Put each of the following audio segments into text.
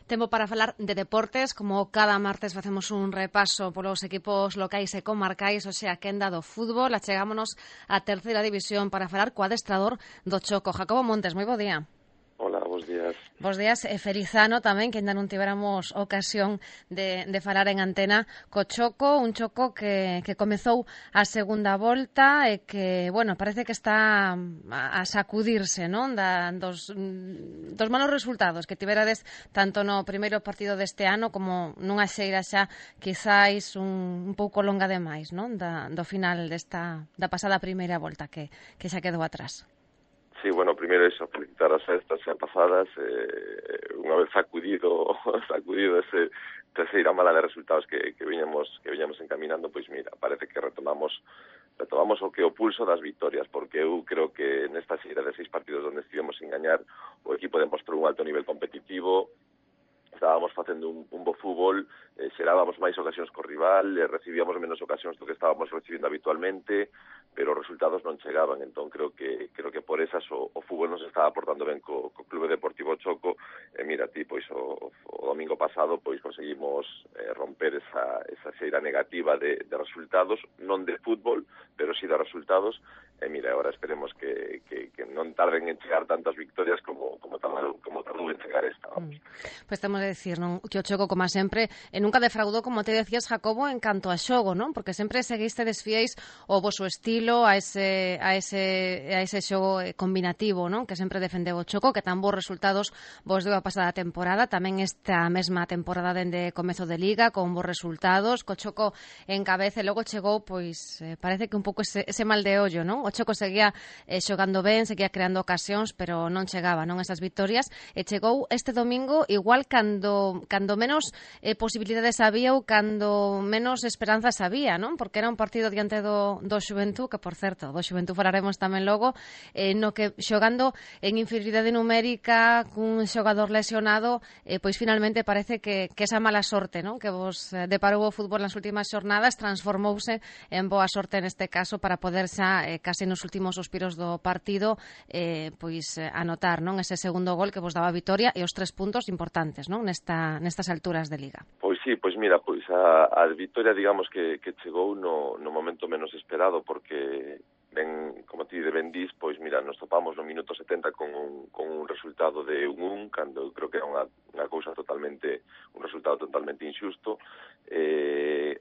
Tempo para falar de deportes, como cada martes facemos un repaso polos equipos locais e comarcais, hoxe a quenda do fútbol. Achegámonos á terceira división para falar co adestrador do Choco. Jacobo Montes, moi bo día. Hola, bos días. Bos días, e feliz ano tamén, que ainda non tiveramos ocasión de falar en antena co Choco, un Choco que comezou a segunda volta e que, bueno, parece que está a sacudirse, non? Dos malos resultados que tiverades tanto no primeiro partido deste ano como nunha xeira xa quizáis un pouco longa demais, non? Do final da pasada primeira volta que xa quedou atrás. Sí, bueno, primeiro iso, felicitar as festas xa pasadas, unha vez sacudido ese terceira mala de resultados que viñamos encaminando, pois mira, parece que retomamos o que o pulso das victorias, porque eu creo que nesta xeira de 6 partidos onde estivemos sin gañar, o equipo demostrou un alto nivel competitivo, estábamos facendo un bo fútbol, xerábamos máis ocasións co rival, recibíamos menos ocasións do que estábamos recibindo habitualmente, pero os resultados non chegaban, entón creo que por esas o fútbol nos estaba aportando ben co Clube Deportivo Choco, e mira ti, pois o domingo pasado pois conseguimos romper esa xeira negativa de resultados, non de fútbol, pero sí de resultados, e mira, agora esperemos que non tarden en chegar tantas victorias como tardou en chegar esta, vamos. Pois temos de decir, non, que o Choco, como sempre, nunca defraudou, como te decías, Jacobo, en canto a xogo, non? Porque sempre seguiste desfiéis o voso estilo a ese xogo combinativo, non? Que sempre defendeu o Choco, que tan bons resultados vos deu a pasada temporada, tamén esta mesma temporada dende comezo de Liga, con bons resultados, co Choco en cabeza, e logo chegou, pois, parece que un pouco ese mal de ollo, non? O Choco seguía xogando ben, seguía creando ocasións, pero non chegaba, non, esas victorias, e chegou este domingo igual cando menos posibilidades había ou cando menos esperanzas había, non? Porque era un partido diante do Xuventud, que, por certo, do Xuventud falaremos tamén logo, no que xogando en inferioridade numérica, cun xogador lesionado, pois finalmente parece que esa mala sorte, non? Que vos deparou o fútbol nas últimas xornadas transformouse en boa sorte neste caso para poder xa, case nos últimos suspiros do partido, pois anotar, non? Ese segundo gol que vos daba a vitoria e os 3 puntos importantes, non? Nestas alturas de Liga. Pois sí, pois mira, pois a vitoria, digamos que chegou no momento menos esperado, porque ben, como ti ben dís, pois mira, nos topamos no minuto 70 con un resultado de 1-1, cando creo que era unha cousa un resultado totalmente injusto.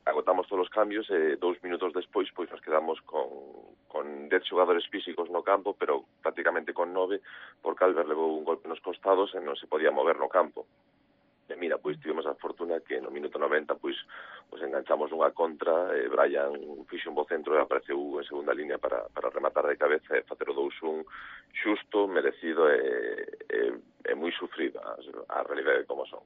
Agotamos todos os cambios e 2 minutos despois pois nos quedamos con 10 xogadores físicos no campo, pero prácticamente con 9, porque Albert levou un golpe nos costados e non se podía mover no campo. E mira, pois tivemos a fortuna que no minuto 90 pois enganchamos unha contra, Brian fixo un bo centro e apareceu en segunda línea para rematar de cabeza e facer o 2-1 xusto, merecido e moi sufrido a realidade como son.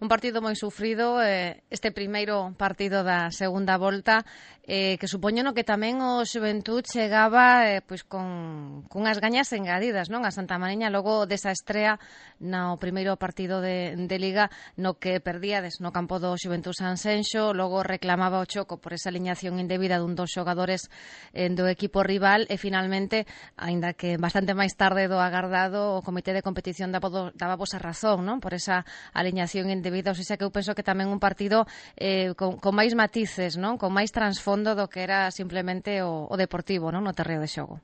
Un partido moi sufrido, este primeiro partido da segunda volta, que supoño no que tamén o Xuventud chegaba pois cunhas gañas engadidas, non? A Santa Mariña logo desa estrea no primeiro partido de Liga, no que perdíades no campo do Xuventud Sanxenxo, logo reclamaba o Choco por esa aliñación indebida dun dos xogadores do equipo rival, e finalmente, aínda que bastante máis tarde do agardado, o Comité de Competición daba vos a razón, non? Por esa aliñación indebida, ou seja, que eu penso que tamén un partido con máis matices, non? Con máis transfondo do que era simplemente o deportivo, non? No terreo de xogo.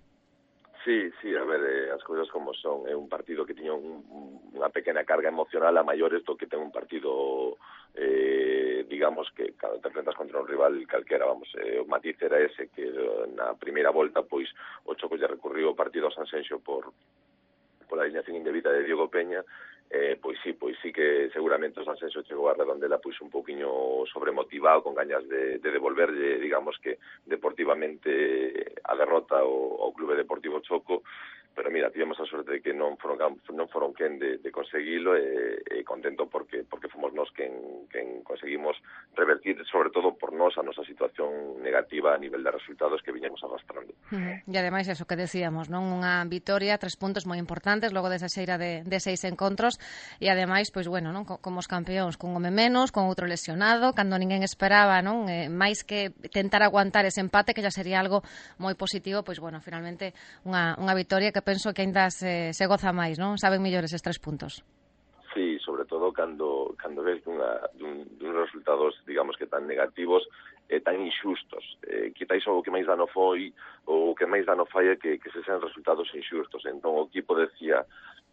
Sí, a ver, as cousas como son. É un partido que tiña unha pequena carga emocional a maiores do que ten un partido, digamos, que cando te enfrentas contra un rival calquera, vamos, o matiz era ese, que na primeira volta, pois, o Choco lle recurriu o partido a Sanxenxo por la alineación indebida de Diego Peña, pois sí que seguramente o Sanxenxo chegou a Redondela pois un pouquiño sobremotivado, con gañas de devolverlle, digamos que deportivamente a derrota ao Clube Deportivo Choco, pero mira, tivemos a sorte de que non foron quen de conseguilo, e contento porque fomos nós quen conseguimos revertir, sobre todo por nós, a nosa situación negativa a nivel de resultados que viñamos arrastrando. E ademais, eso que decíamos, non? Unha vitoria, 3 puntos moi importantes logo desa xeira de 6 encontros, e ademais, pois bueno, non? Como os campeóns, cun home menos, con outro lesionado, cando ninguén esperaba, non? Máis que tentar aguantar ese empate, que xa sería algo moi positivo, pois bueno, finalmente unha vitoria que penso que aínda se goza máis, non? Saben mellor eses 3 puntos. Sí, sobre todo cando cando ves dun resultados, digamos que tan negativos e tan inxustos. Quitais o que máis dano foi, o que máis dano fai é que se sean resultados inxustos. Entón o equipo decía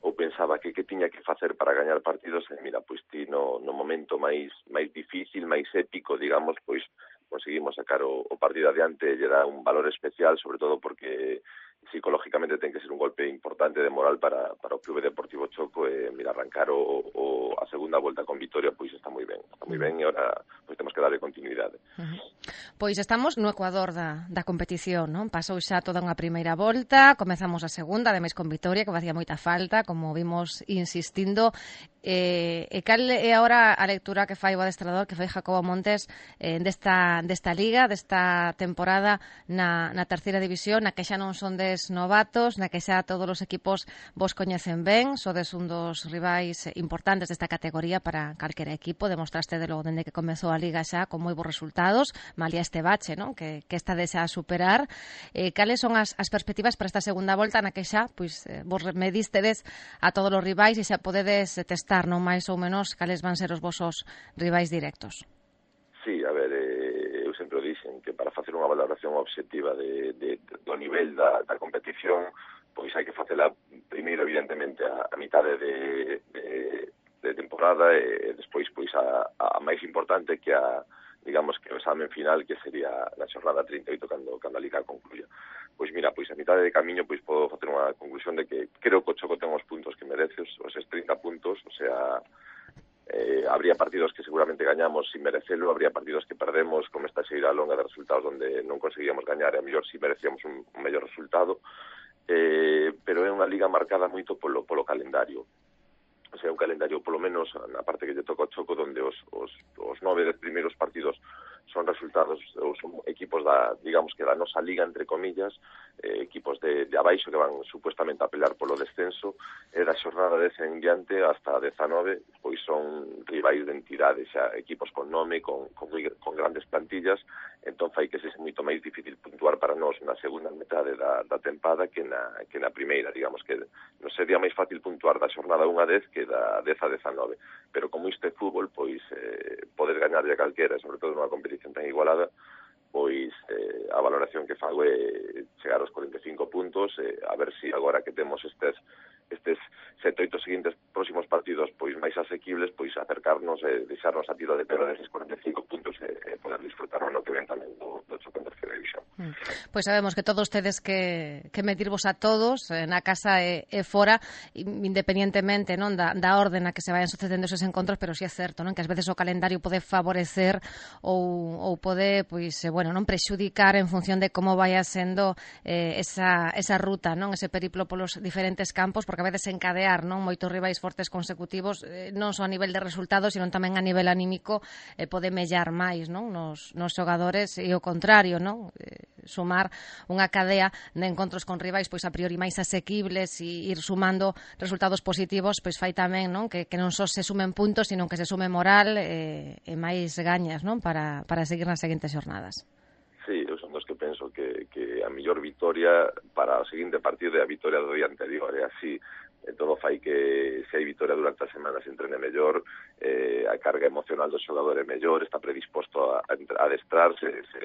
ou pensaba que tiña que facer para gañar partidos, e mira, pois ti no momento máis difícil, máis épico, digamos, pois conseguimos sacar o partido adiante, e lle dá un valor especial, sobre todo porque psicológicamente ten que ser un golpe importante de moral para o Clube Deportivo Choco, e mira, arrancar a segunda volta con vitoria, pois está moi ben, e ahora pois temos que darle continuidade. Pois estamos no Ecuador da competición, non? Pasou xa toda unha primeira volta, comezamos a segunda, ademais con vitoria, que facía moita falta, como vimos insistindo. E cal é agora a lectura que fai o adestrador, que fai Jacobo Montes, desta liga, desta temporada na terceira división, na que xa non son des novatos, na que xa todos os equipos vos coñecen ben, sodes un dos rivais importantes desta categoría para calquera equipo, demostraste de logo dende que comezou a liga xa con moi bons resultados, malia este bache, non? Que está xa a superar. Cales son as perspectivas para esta segunda volta na que xa pois vos medistedes a todos os rivais e xa podedes testar, non, máis ou menos cales van ser os vosos rivais directos? Sí, a ver, eu sempre o dixen que para facer unha valoración obxectiva do nivel da competición, pois hai que facela primeiro, evidentemente, a mitade de temporada, e despois pois a máis importante, que digamos que o examen final, que sería na xornada 38 cando a Liga concluya. Pois mira, pois a mitade de camiño pois podo facer unha conclusión de que creo que o Choco ten os puntos que merece, os 30 puntos, o sea, habría partidos que seguramente gañamos sin merecelo, habría partidos que perdemos, como esta xeira longa de resultados onde non conseguíamos gañar, e a mellor si merecíamos un mellor resultado, pero é unha liga marcada moito polo calendario. O sea, un calendario, polo menos na parte que lle toca ao Choco, onde os 9 primeiros partidos son resultados, ou son equipos digamos que da nosa liga, entre comillas, equipos de abaixo que van supuestamente a pelear polo descenso, e da xornada 10 en diante hasta 19, pois son rivais de entidades, xa equipos con nome, con grandes plantillas. Entón fai que sexa moito máis difícil puntuar para nós na segunda metade da tempada que na primeira, digamos que non sería máis fácil puntuar da xornada 1 a 10 que da 10 a 19, pero como isto é fútbol, pois poder gañarlle a calquera, sobre todo nunha competición tan igualada, pois a valoración que fago é chegar aos 45 puntos, a ver se agora que temos estes 7-8 seguintes próximos partidos pois máis asequibles, pois acercarnos e deixarnos a tiro de pelo deses 45 puntos e poder disfrutar no que ven tamén do Choco en terceira división. Pois sabemos que todos tedes que medirvos a todos, na casa e fora, independientemente, non, da orden na que se vayan sucedendo esos encontros, pero si é certo, non, que ás veces o calendario pode favorecer ou pode, pois, bueno, non prexudicar en función de como vaya sendo esa ruta, non, ese periplo polos diferentes campos, porque a veces encadear, non, moitos rivais fortes consecutivos, non só a nivel de resultados, sino tamén a nivel anímico, pode mellar máis, non, nos xogadores, e o contrario, non, sumar unha cadea de encontros con rivais pois a priori máis asequibles e ir sumando resultados positivos, pois fai tamén, non, que non só se sumen puntos, sino que se sume moral e máis gañas, non, para seguir nas seguintes xornadas. Sí, eu son dos que penso que a mellor vitoria para o seguinte partido é a vitoria do día anterior, e así todo fai que se hai vitoria durante a semana se entrene mellor, a carga emocional do xogador é mellor, está predisposto a adestrarse, se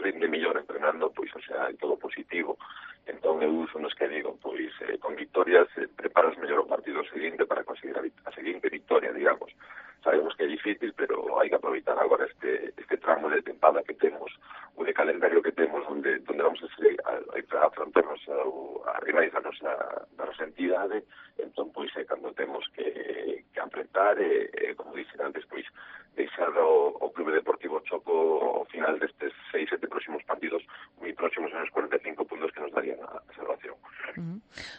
rinde mellor entrenando, pois, o sea, é todo positivo. Entón, eu son os que digo, pois, con victorias preparas mellor o partido seguinte para conseguir a seguinte victoria, digamos. Sabemos que é difícil, pero hai que aproveitar agora este tramo de tempada que temos, o de calendario que temos, onde vamos a afrontarnos a rivais da nosa entidade. Entón, pois, cando temos que apretar, como dixen antes, pois, deixar o Clube Deportivo Choco ao final destes 6-7 próximos partidos moi próximos a los 45 puntos que nos darían a salvación.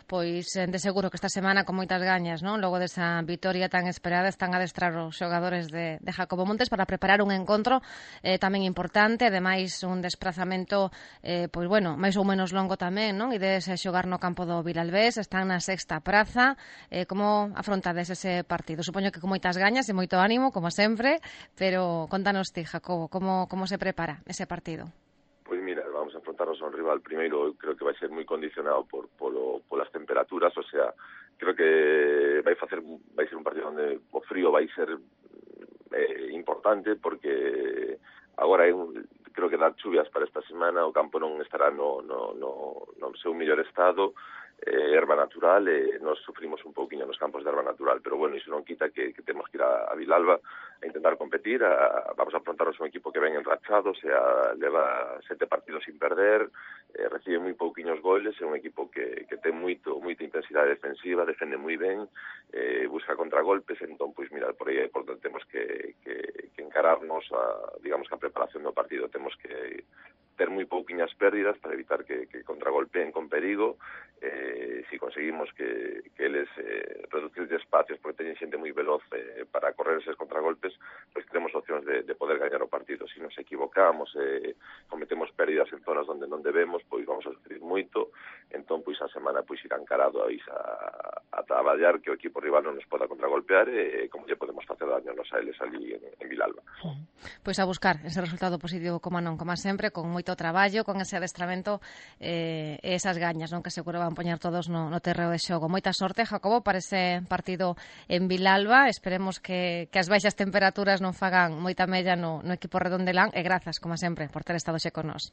Pois, de seguro que esta semana con moitas gañas, non? Logo desa vitoria tan esperada, están a adestrar os xogadores de Jacobo Montes para preparar un encontro tamén importante, ademais un desprazamento pois bueno, máis ou menos longo tamén, non? E de xogar no campo do Vilalbés, están na sexta praza. Como afrontades ese partido? Supoño que con moitas gañas e moito ánimo, como sempre, pero contanos ti, Jacobo, como se prepara ese partido? Pois mira, vamos a enfrontarnos a un rival primeiro, creo que vai ser moi condicionado polas temperaturas, o sea, creo que vai ser un partido onde o frío vai ser importante porque agora creo que dar chuvias para esta semana, o campo non estará no seu mellor estado, erva natural, nos sufrimos un pouquiño nos campos de erva natural, pero bueno, iso non quita que temos que ir a Vilalba a intentar competir, vamos a afrontarnos un equipo que ven enrachado, leva 7 partidos sin perder, recibe moi pouquiños goles, é un equipo que ten moita intensidade defensiva, defende moi ben, busca contragolpes, entón, pois mira, por aí é por donde temos que encararnos digamos que a preparación do partido, temos que ter moi pouquiñas pérdidas para evitar que contragolpeen con perigo. Si conseguimos que eles reducir de espacios porque teñen xente moi veloz para correr eses contragolpes, pois temos opcións de poder gañar o partido. Si nos equivocamos, cometemos pérdidas en zonas onde non debemos, pois vamos a sufrir moito. Entón, pois a semana pois irá encarado a traballar que o equipo rival non nos poda contragolpear e como lle podemos facer daño nos a eles ali en Vilalba. Pois a buscar ese resultado positivo como non, como sempre, con moito traballo, con ese adestramento e esas gañas, non, que seguro van poñer todos no terreo de xogo. Moita sorte, Jacobo, para ese partido en Vilalba. Esperemos que as baixas temperaturas non fagan moita mella no equipo redondelán e grazas, como sempre, por ter estado xe con nós.